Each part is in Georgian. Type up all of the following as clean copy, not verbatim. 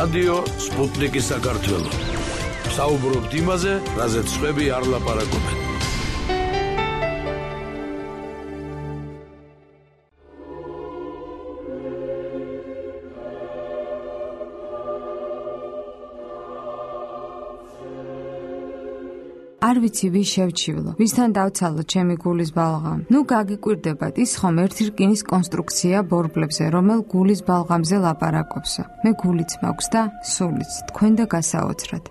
რადიო სპუტნიკი საქართველო. საუბრობთ იმაზე, რაზეც სხვები არ ლაპარაკობენ. არ ვიცი ვის შევჩივლო, ვისთან დავცალო ჩემი გულის ბალღამ. ნუ გაგიკვირდებათ, ის ხომ ერთი რკინის კონსტრუქცია ბორბლებზე, რომელ გულის ბალღამზე ლაპარაკობსო. მე გულიც მაქვს და სულიც, თქვენ და გასაოცრად.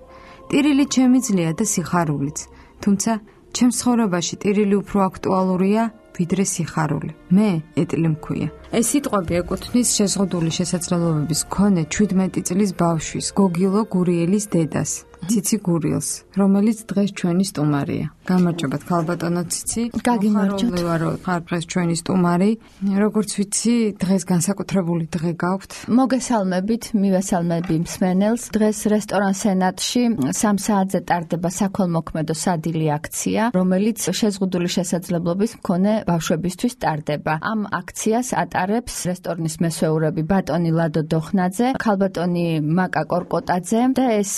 ტირილი ჩემი ძლია და სიხარულიც. თუმცა, ჩემს ცხოვრებაში ტირილი უფრო აქტუალურია, ვიდრე სიხარული. მე ეტლი მქვია. ეს სიტყვები ეკუთვნის შეზღუდული შესაძლებლობების მქონე 17 წლის ბავშვის, გოგილო გურიელის დედას. ციცი გურიელს, რომელიც დღეს ჩვენი სტუმარია. გამარჯობათ ქალბატონო ციცი. გაგიმარჯოთ. ხარ დღეს ჩვენი სტუმარი. როგორც ვიცი, დღეს განსაკუთრებული დღე გაქვთ. მოგესალმებით, მივესალმები მსმენელს. დღეს რესტორან სენატში 3 საათზე ტარდება საქველმოქმედო სადილი აქცია, რომელიც შეზღუდული შესაძლებლობის მქონე ბავშვებისთვის ტარდება. ამ აქციას ატარებს რესტორნის მესვეურები ბატონი ლადო დოხნაძე, ქალბატონი მაკა კორკოტაძე და ეს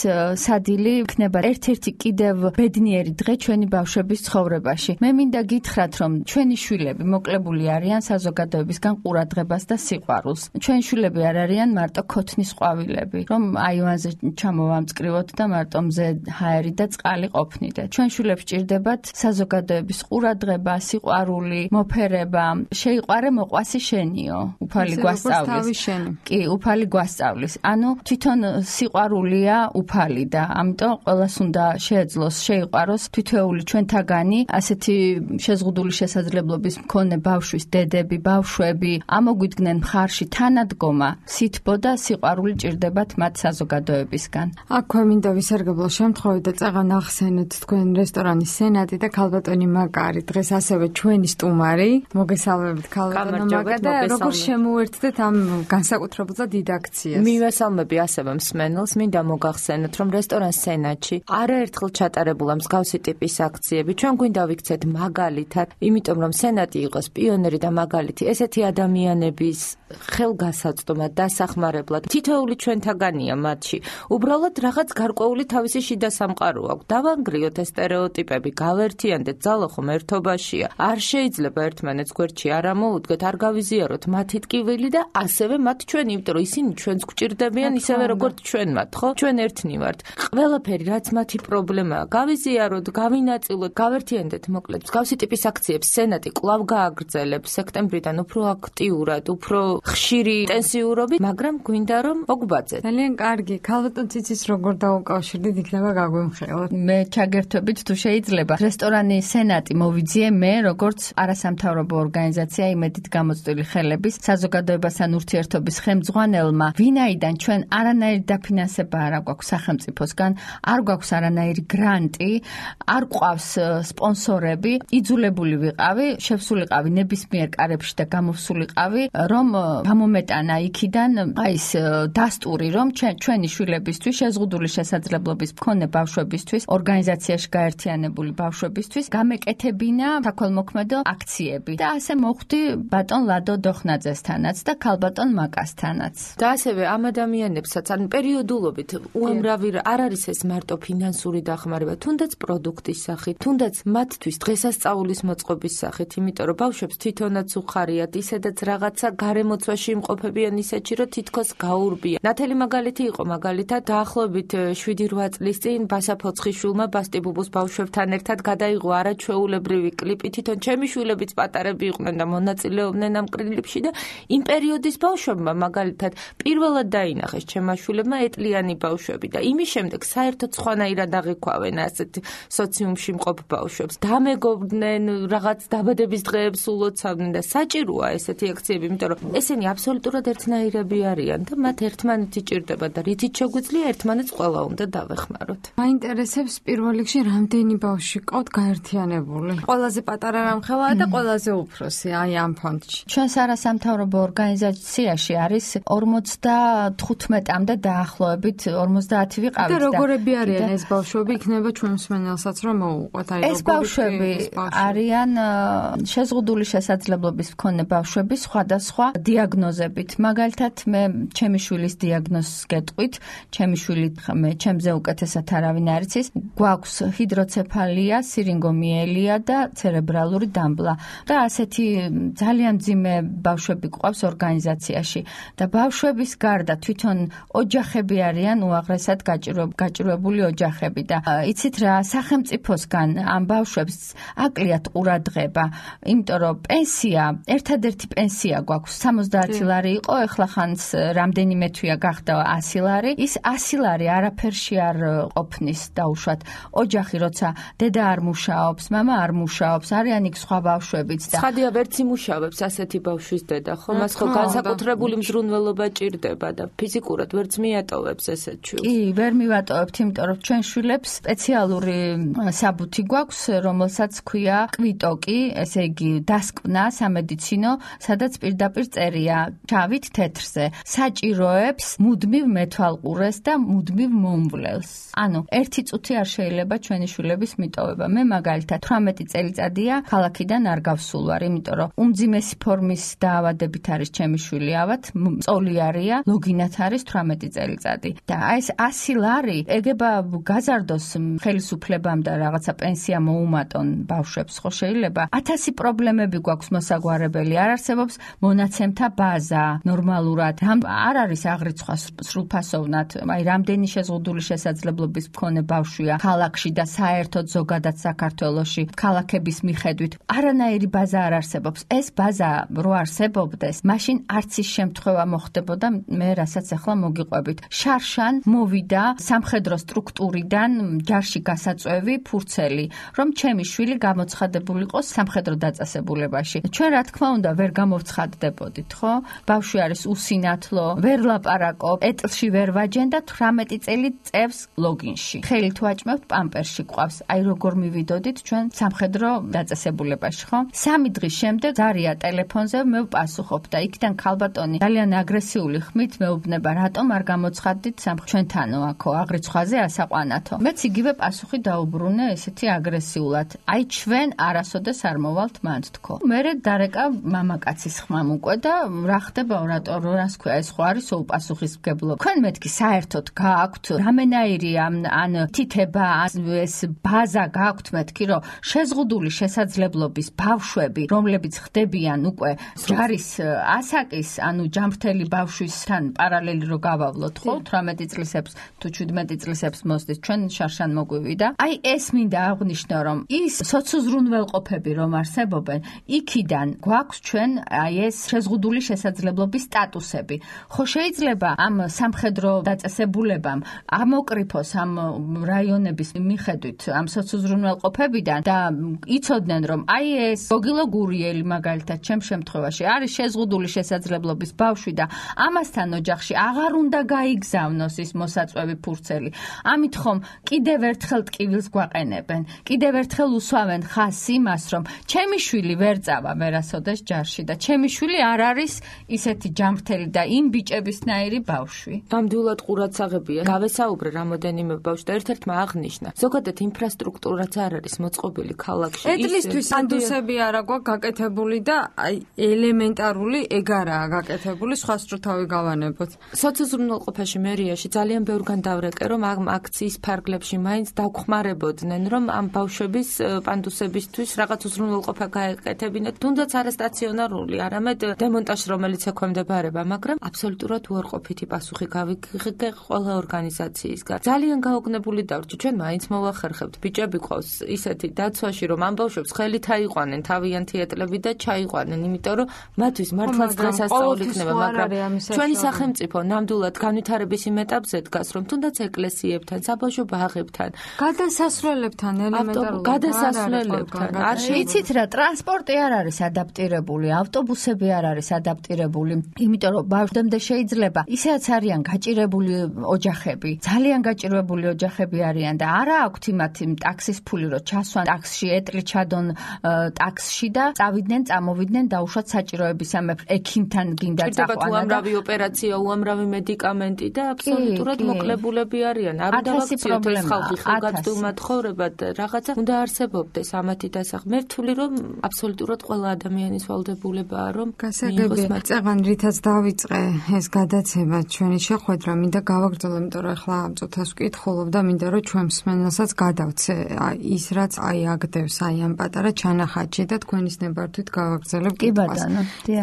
სადილი იქნება ერთ-ერთი კიდევ ბედნიერი დღე ჩვენი ბავშვების ცხოვრებაში. მე მინდა გითხრათ, რომ ჩვენი შვილები მოკლებული არიან საზოგადოებისგან ყურადღებას და სიყვარულს. ჩვენი შვილები არ არიან მარტო ქოთნის ყვავილები, რომ აივანზე ჩამოვამწკრივოთ და მარტო მზე ჰაერი და წყალი ყოფნიდეთ. ჩვენ შვილებს ჭირდებათ საზოგადოების ყურადღება, სიყვარული, მოფერება. შეიყვარე მოყვასი შენიო, უფალი გვასწავლის. კი, უფალი გვასწავლის. ანუ თვითონ სიყვარულია უფალი და ამიტომ ყველას უნდა შეეძლოს შეიყვაროს თითოეული ჩვენთაგანი ასეთი შეზღუდული შესაძლებლობის მქონე ბავშვის დედები, ბავშვები ამოგვიდგნენ მხარში თანადგომა, სითბო და სიყვარული ჭირდებათ მათ საზოგადოებისგან. აქვე მინდა ვისარგებლო შემთხვევით და წაღან ახსენეთ თქვენ რესტორანის სენატი და ქალბატონი მაკა არის დღეს ასევე ჩვენი სტუმარი. მოგესალმებით ქალბატონო მაკა და როგორ შემოერთდეთ ამ განსაკუთრებულ და დიდ აქციას. მივესალმები ასევე მსმენელს, მინდა მოგახსენოთ, რომ რესტორან სენატში არაერთხელ ჩატარებულა მსგავსი ტიპის აქციები. ჩვენ გვინდა ვიქცეთ მაგალითად, იმიტომ რომ სენატი იყოს პიონერი და მაგალითი ესეთი ადამიანების ხელგასაწვდომად, დასახმარებლად. თითოეული ჩვენთაგანია მათში. უბრალოდ რაღაც გარკვეული თავისი შიდა სამყარო აქვს. დავანგრიოთ ეს სტერეოტიპები, გავერთიანდეთ, ძალა ხომ ერთობაშია. არ შეიძლება ერთმანეთს გვერდში არ ამოუდგეთ, არ გავიზიაროთ მათი ტკივილი და ასევე მათ ჩვენ, იმიტომ რომ ისინი ჩვენს გვჭირდებიან ისევე როგორც ჩვენ მათ, ხო? ჩვენ ერთნი ვართ. ყველაფერი რაც მათი პრობლემაა, გავიზიაროთ, გავინაწილოთ, გავერთიანდეთ, მოკლედ. მსგავსი ტიპის აქციებს სენატი კვლავ გააგრძელებს სექტემბრიდან უფრო აქტიურად, უფრო ხშირი ინტენსიურობით, მაგრამ გვინდა რომ მოგბაძეთ. ძალიან კარგი. ქალბატონ ციცის როგორ დაუკავშირდით, იქნება გაგვიმხილოთ. მე ჩაგერთვებით თუ შეიძლება. რესტორანი სენატი მოვიძიე მე როგორც არასამთავრობო ორგანიზაცია იმედით გამოწვეული ხელების საზოგადოებასთან ურთიერთობის ხელმძღვანელმა, ვინაიდან ჩვენ არანაირი დაფინანსება არ აქვს სახელმწიფოსგან, არ გვაქვს არანაირი გრანტი, არ გვყავს სპონსორები, იძულებული ვიყავი, შევსულიყავი ნებისმიერ კარებში და გამოვსულიყავი, რომ გამომეტანა იქიდან ის დასტური, რომ ჩვენი შვილებისთვის, შეზღუდული შესაძლებლობის მქონე ბავშვებისთვის, ორგანიზაციაში გაერთიანებული ბავშვებისთვის გამეკეთებინა საქველმოქმედო აქციები. და ასე მოხვდი ბატონ ლადო დოხნაძესთანაც და ქალბატონ მაკასთანაც. და ასევე ამ ადამიანებსაც ან პერიოდულობით უამრავი არ არის ეს მარტო ფინანსური დახმარება, თუნდაც პროდუქტის სახით, თუნდაც მათთვის დღესასწაულის მოწყობის სახით, იმიტომ რომ ბავშვებს თვითონაც უხარიათ, ისედაც რაღაცა გარემოცვაში იმყოფებიან ისეთში, რომ თითქოს გაურბიან. ნათელი მაგალითი იყო, მაგალითად დაახლოებით 7-8 წლის წინ ბასა ფოცხიშვილმა ბასტიბუბუს ბავშვებთან ერთად გადაიღო არაჩვეულებრივი კლიპი, თვითონ ჩემი შვილებიც პატარები იყვნენ და მონაწილეობდნენ ამ კლიპში და იმ პერიოდის ბავშვებმა მაგალითად პირველად დაინახეს ჩემმა შვილებმა ეტლიანი ბავშვები და იმის შემდეგ საერთოდ სხვანაირად აღიქვავენ ასეთ სოციუმში მყოფ ბავშვებს. დამეგობრდნენ, რაღაც დაბადების დღეებს ულოცავდნენ და საჭიროა ესეთი აქციები, იმიტომ რომ ესენი აბსოლუტურად ერთნაირები არიან და მათ ერთმანეთი ჭირდება და რითიც შეგვიძლია ერთმანეთს ყველა უნდა დავეხმაროთ. მაინტერესებს პირველ რიგში რამდენი ბავშვი ყავთ გაერთიანებული? ყველაზე პატარა რამხელაა და ყველაზე უფროსი აი ამ ფონდში. ჩვენს არასამთავრობო ორგანიზაციაში არის 55-მდე დაახლოებით 50 ვიყავით და როგორები არიან ეს ბავშვები, იქნება ჩვენ მსმენელსაც რომ მოუგო. უყვათ, აი ეს ბავშვები არიან შეზღუდული შესაძლებლობის მქონე ბავშვები სხვადასხვა დიაგნოზებით. მაგალითად, მე ჩემი შვილის დიაგნოზს გეტყვით, ჩემი შვილი ჩემზე უკეთესად არავინ არ იცის, გვაქვს ჰიდროცეფალია, სირინგომიელია და ცერებრალური დამბლა. და ასეთი ძალიან მძიმე ბავშვები გვყავს ორგანიზაციაში და ბავშვების გარდა თვითონ ოჯახები არიან უაღრესად გაჭირვებული ოჯახები და იცით რა, სახელმწიფოსგან ამ ბავშვებს აკლიათ ყურადღება, იმიტომ რომ პენსია, ერთადერთი პენსია გვაქვს 70 ლარი იყო, ეხლა ხანს რამდენიმე თვეა გახდა 100 ლარი. ის 100 ლარი არაფერში არ ყოფნის დაუშვათ. ოჯახი როცა დედა არ მუშაობს, მამა არ მუშაობს, არიან იქ სხვა ბავშვებიც და ცხადია ვერც იმუშავებს ასეთი ბავშვის დედა, ხო? მას ხო განსაკუთრებული მზრუნველობა ჭირდება და ფიზიკურად ვერც მიატოვებს ესეთ შვილს. კი, ვერ მივატოვებთ, იმიტომ რომ ჩვენ შვილებს სპეციალური საბუთი გვაქვს, რომელსაც ქვია კვიტოკი, ესე იგი დასკვნა სამედიცინო, სადაც პირდაპირ წერია შავით თეთრზე. საჭიროებს მუდმივ მეთვალყურეს და მუდმივ მომვლელს. ანუ 1 წუთი არ შეიძლება ჩვენი შვილების მიტოვება. მე მაგალითად 18 წელიწადია ქალაქიდან არ გავსულ ვარ, იმიტომ რომ უმძიმესი ფორმის დაავადებით არის ჩემი შვილი, ავად მწოლი არია, ლოგინათ არის 18 წელიწადი. და ეს 100 ლარი ეგება გაზარდოს ხელისუფლებამ და რაღაცა პენსია მოუმატონ ბავშვებს, ხო შეიძლება? 1000 პრობლემები გვაქვს მოსაგვარებელი, არ არსებობს მონაცემთა ბაზა ნორმალურად. არ არის აღრიცხვა სრულფასოვნად, აი რამდენი შეზღუდული შესაძლებლობის მქონე ბავშვია ქალაქში და საერთოდ ზოგადად საქართველოში ქალაქების მიხედვით არანაირი ბაზა არ არსებობს. ეს ბაზა რო არსებობდეს, მაშინ არც ის შემთხვევა მოხდებოდა მე რასაც ახლა მოგიყვებით. შარშან მოვიდა სამხედრო სტრუქტურიდან ჯარში გასაწვევი ფურცელი, რომ ჩემი შვილი გამოცხადებული იყოს სამხედრო დაწესებულებაში. ჩვენ რა თქმა უნდა ვერ გამოვცხადდებოდით, ხო? ბავშვი არის უსინათლო, ვერ ლაპარაკობ, ეტლში ვერ ვაჯენ და 18 წელი წევს ლოგინში. ხელით ვაჭმევთ, პამპერსში ყავს. აი როგორ მივიდოდით ჩვენ სამხედრო დაწესებულებაში, ხო? 3 დღის შემდეგ ზარია ტელეფონზე მე ვპასუხობ და იქიდან ქალბატონი ძალიან აგრესიული ხმით მეუბნება, რატომ არ გამოცხადდით ჩვენთანო აქო აღრიცხვაზე ასაყვანათო. მეც იგივე პასუხი დაუბრუნე ესეთი აგრესიულად. აი ჩვენ არასოდეს არ მოვალთ მანდ თქო. მერე დარეკა მამაკაცის ხმამ უკვე და რა ხდება რას ქვია ეს ხო არის უპასუხისმგებლო. თქვენ მეთქი საერთოდ გააქვთ რამენაირი ან თითება ეს ბაზა გააქვთ მეთქი რომ შეზღუდული შესაძლებლობის ბავშვები რომლებიც ხდებიან უკვე ჯარის ასაკის ანუ ჯამრთელი ბავშვისთან პარალელი რო გავავლოთ ხო 18 წლისებს თუ 17 წლისებს მოსდით ჩვენ შარშან მოგვივიდა. აი ეს მინდა აღვნიშნო რომ ის სოციოზრუნველყოფები რომ არსებობენ იქიდან გვაქვს ჩვენ აი ეს შეზღუდული შესაძლებლობის სტატუსები. ხო შეიძლება ამ სამხედრო დაწესებულებამ ამოკრიფოს ამ რაიონების მიხედვით ამ სოციოზრუნველყოფებიდან და იცოდნენ რომ აი ეს გოგილო გურიელი მაგალითად ჩემ შემთხვევაში არის შეზღუდული შესაძლებლობის ბავშვი და ამასთან ოჯახში აღარ უნდა გაიგზავნოს ის მოსაწვევი ფურცელი. ამით ხომ კიდევ ერთხელ ტკივილს გვაყენებენ. კიდევ ერთხელ უსვამენ ხაზს იმას რომ ჩემი შვილი ვერ წავა ვერასოდეს ჯარში და ჩემი შვილი არ არის ისეთი ჯამრთელი და იმ ბიჭებისნაირი ბავშვი. ნამდვილად ყურადსაღებია. გავესაუბრე რამოდენიმე ბავშვს და ერთ-ერთმა აღნიშნა. ზოგადად ინფრასტრუქტურაც არ არის მოწყობილი ქალაქში. ეტლისთვის ანდუსები არა გვაქვს გაკეთებული და აი ელემენტარული ეგ არაა გაკეთებული, სხვა სტრუთავი გავანებოთ. სოციოზრუნველყოფაში მერიაში ძალიან ბევრგან დავრეკე რომ ამ აქციის ფარგლებში მაინც დაგხმარებოდნენ რომ ამ ბავშვების პანდუსებისთვის რაღაც უზრუნველყოფა გაეკეთებინათ, თუნდაც არასტაციონარული, არამედ დემონტაჟს რომელიც ექვემდებარება, მაგრამ აბსოლუტურად უარყოფითი პასუხი გავიგე ყველა ორგანიზაციისგან. ძალიან გაოგნებული დავრჩი, ჩვენ მაინც მოვახერხებთ. ბიჭები ყავს ისეთი დაცვაში, რომ ამ ბავშვებს ხელით აიყვანენ თავიანთი ეტლები და ჩაიყვანენ, იმიტომ რომ მათთვის მართლაც დღესასწაული იქნება, მაგრამ ჩვენი სახელმწიფო ნამდვილად განვითარების იმ ეტაპზე დგას, რომ თუნდაც ეკლესიებთან, საბავშვო ბაღებთან, გადასასვლელებთან ელემენტარულად გადასასვლელებთან არ შეიცით რა, ტრანსპორტი არ არის ადაპტირებული, ავტობუსები არ არის ადაპტირებული, იმიტომ რომ ბავშვამდე შეიძლება ისეაც არიან გაჭირებული ოჯახები, ძალიან გაჭირებული ოჯახები არიან და არა აქვთ იმათ ტაქსის ფული, რომ ჩასვან ტაქსში, ეტლი ჩადონ ტაქსში და წავიდნენ, წამოვიდნენ დაუშვათ საჭიროებისამებრ ექიმთან გინდა წაყვანა. უამრავი ოპერაცია, უამრავი მედიკამენტი და აბსოლუტურად მოკლებულები არიან. არ უნდა ვაქციოთ ეს ხალხი ხელგაწვილ მათხოვრებად ნებისმიერად რაღაცა უნდა არსებობდეს ამათი დასახ. მე ვთვლი რომ აბსოლუტურად ყველა ადამიანის ვალდებულებაა რომ გასაგები წეგან რითაც დავიწყე ეს გადაცემა ჩვენი შეხვედრა მინდა გავაგრძელო, იმიტომ რომ ახლა ამ წუთას ვკითხულობ და მინდა რომ ჩვენ მსმენელსაც გადავცე ის რაც აგდევს ამ პატარა ჩანახატში და თქვენის ნებართვით გავაგრძელებ კითხვას.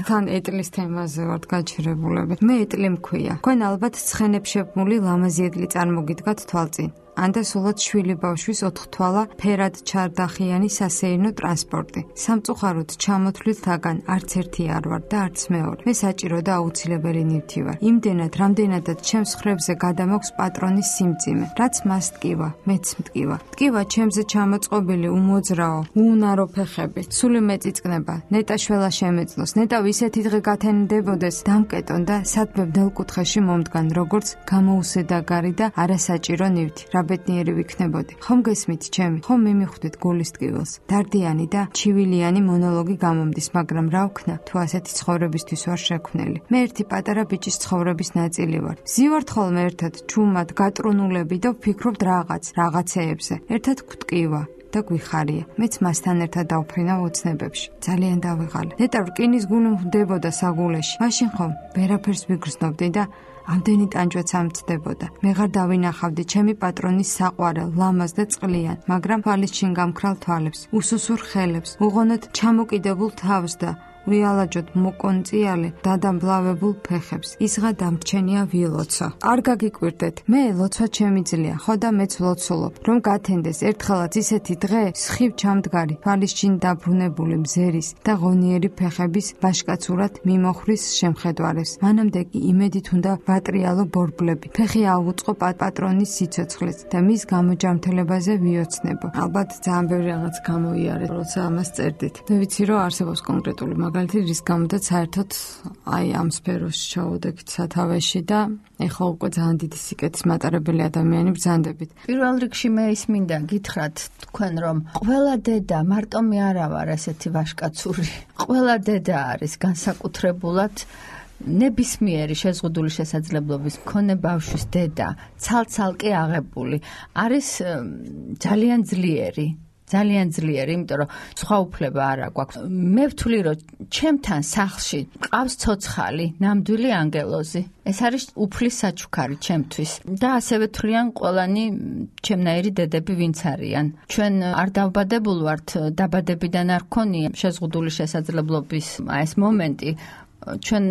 თან ეტლის თემაზე ვართ გაჩერებულები. მე ეტლი მქვია. თქვენ ალბათ ცხენებს შექმული ლამაზი ეტლი წარმოგიდგათ თვალწინ. ანდა სულაც შვილი ბავშვის 4 თვალა ფერად ჩარდახიანი სასეირნო ტრანსპორტი. სამწუხაროდ ჩამოთვლილთაგან არც ერთი არ ვარ და არც მეორე. მე საჭირო და აუცილებელი ნივთი ვარ. იმდენად, რამდენადაც ჩემს ხრებზე გადამაქვს პატრონის სიმძიმე, რაც მას ტკივა, მეც მტკივა. ტკივა ჩემზე ჩამოწყობილი უმოძრაო, უუნარო ფეხები. სული მეწიწკნება, ნეტა შველა შემეძლოს, ნეტა ისეთი დღე გათენდებოდეს, დამკეტონ და სადმე ბნელკუთხეში მომდგან, როგორც გამოუსედაგარი და არასაჭირო ნივთი. ბედნიერი ვიქნებოდი. ხომ გესმით ჩემი? ხომ მიმიხვდით გულის ტკივილს? დარდიანი და ჩივილიანი მონოლოგი გამომდის, მაგრამ რა ვქნა, თუ ასეთი ცხოვრებისთვის ვარ შექმნელი. მე ერთი პატარა ბიჭის ცხოვრების ნაწილი ვარ. ზივართ ხოლმე ერთად ჩუმად გატრუნულები და ვფიქრობთ რაღაცეებზე. ერთად გვტკივა და გვიხარია. მეც მასთან ერთად დავფრინავ ოცნებებში. ძალიან დავიღალე. ნეტა რკინის გული მდებოდა საგულეში. მაშინ ხომ ვერაფერს ვიგრძნობდი და ამდენი ტანჯვაც ამცდებოდა. მე ღარ დავინახავდი ჩემი პატრონის საყვარელ, ლამაზ და წყლიან, მაგრამ თვალის ჩინ გამქრალ თვალებს, უსუსურ ხელებს, უღონოდ ჩამოკიდებულ თავს და ვიალაჯოთ მოკონწიალე დადამბლავებულ ფეხებს. ისღა დამრჩენია ვილოცო. არ გაგიკვირდეთ, მე ლოცვა ჩემი ძლია, ხო და მეც ლოცულობ, რომ გათენდეს ერთხელაც ისეთი დღე, სხივ ჩამდგარი, თვალის ჩინ დაბრუნებული მზერის და ღონიერი ფეხების ბაშკაცურად მიმოხრის შემხედვარებს. მანამდე კი იმედით უნდა ვატრიალო ბორბლები, ფეხი ავუწყო პატრონის სიცოცხლეს და მის გამოჯამთელებაზე ვიოცნებო. ალბათ ძალიან ბევრი რაღაც გამოიარეთ, როცა ამას წერდით. მე ვიცი, რომ არსებობს კონკრეტული მაგალითი, რის გამოდაც საერთოდ ამ სფეროში ჩავოდექით სათავეში და ეხლა უკვე ძალიან დიდი სიკეთის მატარებელი ადამიანი ბრძანდებით. პირველ რიგში მე ის მინდა გითხრათ თქვენ რომ ყველა დედა მარტო მე არა ვარ ესეთი ვაშკაცური. ყველა დედა არის განსაკუთრებულად ნებისმიერი შეზღუდული შესაძლებლობის მქონე ბავშვის დედა, ცალ-ცალკე აღებული. არის ძალიან ძლიერი. იმიტომ რომ სხვა უფლება არ აქვს. მე ვთვლი რომ ჩემთან სახლში ყავს ცოცხალი, ნამდვილი ანგელოზი. ეს არის უფლის საჩუქარი ჩემთვის. და ასევე თვლიან ყველანი ჩემნაირი დედები ვინც არიან. ჩვენ არ დავბადებულ ვართ, დაბადებიდან არ გქონია შეზღუდული შესაძლებლობის ეს მომენტი. ჩვენ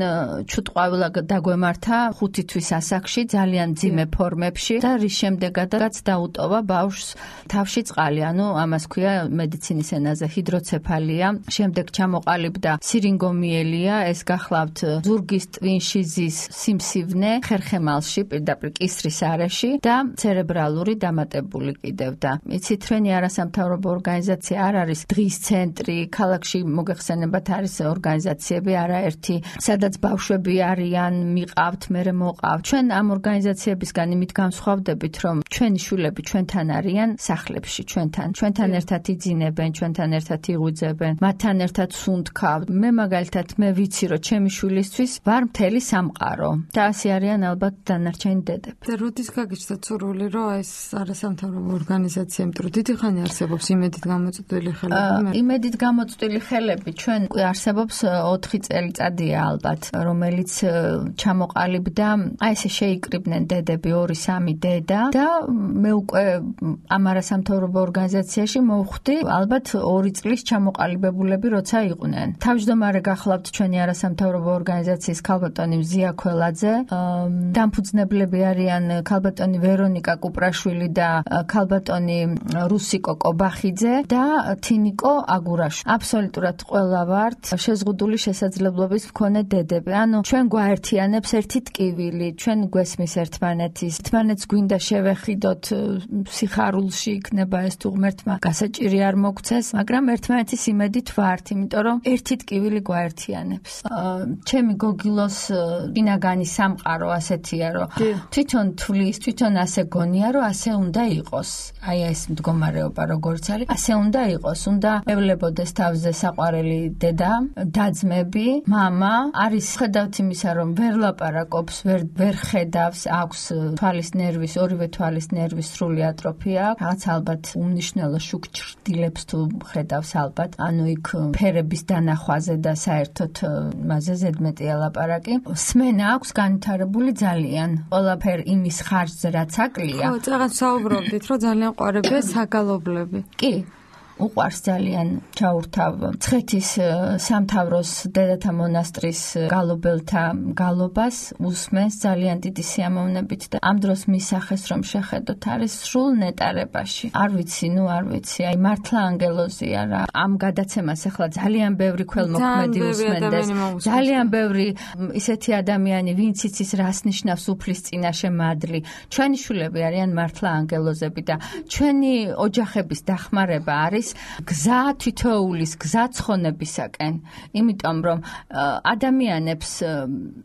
ჩუტყვავილა დაგვემართა 5 თვის ასაკში ძალიან ძიმე ფორმებში და რის შემდეგაც დაუტოვა ბავშვს თავში წყალი, ანუ ამას ქვია მედიცინის ენაზე ჰიდროცეფალია. შემდეგ ჩამოყალიბდა სირინგომიელია, ეს გახლავთ ზურგის ტვინში ზის სიმსივნე ხერხემალში, პირდაპირ კისრის არეში და ცერებრალური დამატებული კიდევ და იცით ჩვენი არასამთავრობო ორგანიზაცია არ არის დღის ცენტრი, ქალაქში მოგეხსენებათ არის ორგანიზაციები არაერთი სადაც ბავშვები არიან, მიყავთ, მერე მოყავთ. ჩვენ ამ ორგანიზაციებისგან იმით განსხვავდებით, რომ ჩვენი შვილები ჩვენთან არიან სახლებში, ჩვენთან ერთად იძინებენ, ჩვენთან ერთად იღვიძებენ, მათთან ერთად სუნთქავთ. მე მაგალითად მე ვიცი, რომ ჩემი შვილისთვის ვარ მთელი სამყარო და ასე არიან ალბათ დანარჩენი დედები. და როდის გაგიჩნდა სურვილი, რომ ეს არასამთავრობო ორგანიზაცია, იმიტომ დიდი ხანი არსებობს იმედით გამოწვეული ხელები? იმედით გამოწვეული ხელები ჩვენ არსებობს 4 წელიწადია ალბათ, რომელიც ჩამოყალიბდა, აი ესე შეიკრიბნენ დედები 2-3 დედა და მე უკვე ამ არასამთავრობო ორგანიზაციაში მოვხვდი ალბათ 2 წლის ჩამოყალიბებულები როცა იყვნენ. თავმჯდომარე გახლავთ ჩვენი არასამთავრობო ორგანიზაციის ქალბატონი მზია ქველაძე, დამფუძნებლები არიან ქალბატონი ვერონიკა კუპრაშვილი და ქალბატონი რუსიკო კობახიძე და თინიკო აგურაშვილი. აბსოლუტურად ყველა ვართ შეზღუდული შესაძლებლობის მქონე დედები. ანუ ჩვენ გვაერთიანებს ერთი ტკივილი, ჩვენ გვესმის ერთმანეთს გვინდა შევეხიდოთ სიხარულში იქნება ეს თუ ღმერთმა გასაჭირი არ მოგცეს, მაგრამ ერთმანეთის იმედით ვართ, იმიტომ რომ ერთი ტკივილი გვაერთიანებს. ჩემი გოგილოს ბინაგანი სამყარო ასეთია, რომ თვითონ თვლის, თვითონ ასე გონია, რომ ასე უნდა იყოს. აი ეს მდგომარეობა როგორც არის, ასე უნდა იყოს. უნდა ევლებოდეს თავზე საყვარელი დედა, დაძმები, მამა, მამა არის ხედავთ იმისა, რომ ვერ ლაპარაკობს, ვერ ხედავს, აქვს თვალის ნერვის, ორივე თვალის ნერვის სრული ატროფია, რაღაც ალბათ უმნიშვნელო შუქჭრდილებს თუ ხედავს ალბათ, ანუ იქ ფერების დანახვაზე და საერთოდ მასზე ზედმეტია ლაპარაკი. სმენა აქვს განვითარებული ძალიან. ყველაფერ იმის ხარჯზე რაც აკლია. ხო, წაღან საუბრობდით, რომ ძალიან ყვარებია საგალობლები. კი. უყვარს ძალიან ჩაურთავ მცხეთის სამთავროს დედათა მონასტრის გალობელთა გალობას უსმენს ძალიან დიდი სიამოვნებით და ამ დროს მისახეს რომ შეხედოთ არის სრულ ნეტარებაში. არ ვიცი, აი მართლა ანგელოზია რა. ამ გადაცემას ახლა ძალიან ბევრი ქველმოქმედი უსმენდეს. ძალიან ბევრი ისეთი ადამიანი, ვინც იცის რას ნიშნავს უფლის წინაშე მადლი. ჩვენი შვილები არიან მართლა ანგელოზები და ჩვენი ოჯახების დახმარება არის გზა თითოეულის გზა ცხონებისაკენ, იმიტომ რომ ადამიანებს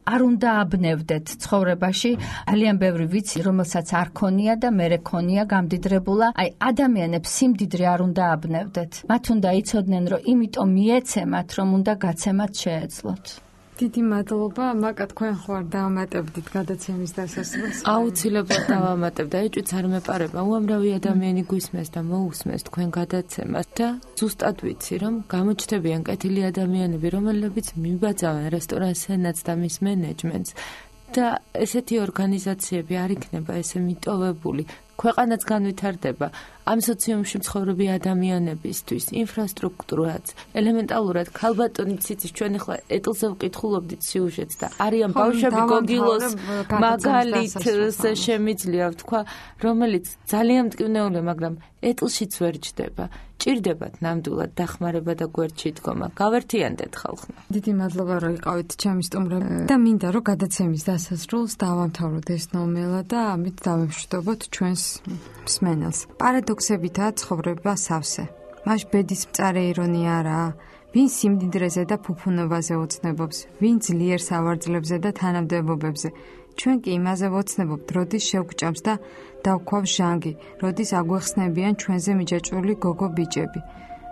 არ უნდა აბნევდეთ ცხოვრებაში. ძალიან ბევრი ვიცი, რომელსაც არ ქონია და მერე ქონია გამდიდრებულა. აი ადამიანებს სიმდიდრე არ უნდა აბნევდეთ. მათ უნდა იცოდნენ, რომ იმიტომ მიეცემათ, რომ უნდა გაცემათ შეეძლოთ. დიდი მადლობა, მაკა თქვენ ხوار დავამატებდით გადაცემის დასასრულს. აუცილებლად დავამატებ და ეჭვიც არ მეპარება. უამრავი ადამიანი გვისმენს და მოусმენს თქვენ გადაცემას და ზუსტად ვიცი, რომ გამოჩნდებიან კეთილი ადამიანები, რომელებიც მიბაძავენ რესტორან სენატს და მის მენეჯმენტს და ესეთი ორგანიზაციები არ იქნება ესე მიტოვებული. ქვეყანაც განვითარდება. ამ სოციუმში მცხოვრები ადამიანებისთვის ინფრასტრუქტურაც ელემენტალურად ქალბატონიც იცის ჩვენ ახლა ეტლზე ვკითხულობდით სიუჟეტს და არიან ბავშვები გოგილოს მაგალითს შემიძლია ვთქვა, რომელიც ძალიან მტკივნეულია, მაგრამ ეტლშიც ვერ ჯდება. ჭირდებათ ნამდვილად დახმარება და გვერდში დგომა. გავერთიანდეთ ხალხმა. დიდი მადლობა რომ იყავით ჩემი სტუმრები და მინდა რომ გადაცემის დასასრულს დავამთავროთ ეს ნომელა და ამით დავემშვიდობოთ ჩვენს მსმენელს. პარადოქსებითაა ცხოვრება სავსე. მას ბედის მწარე ირონია არაა. ვინ სიმდიდრეზე და ფუფუნობაზე ოცნებობს, ვინ ძლიერ სავარძლებზე და თანამდებობებზე. ჩვენ კი იმაზე ვოცნებობთ, როდის შევგჭამს და დავქვავ ჟანგი, როდის აგვეხსნებიან ჩვენზე მიჯაჭვული გოგო ბიჭები.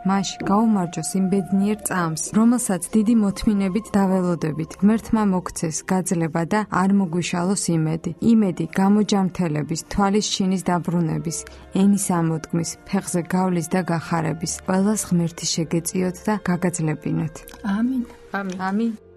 მაშ გაუმარჯოს იმ ბედნიერ წამს, რომელსაც დიდი მოთმინებით დაველოდებით. ღმერთმა მოგცეს გაძლება და არ მოგვიშალოს იმედი. იმედი გამოჯამთელების, თვალის შინის დაბრუნების, ენის ამოდგმის, ფეხზე გავლის და გახარების. ყველას ღმერთი შეგეწიოთ და გაგაძლებინოთ. ამინ. ამინ.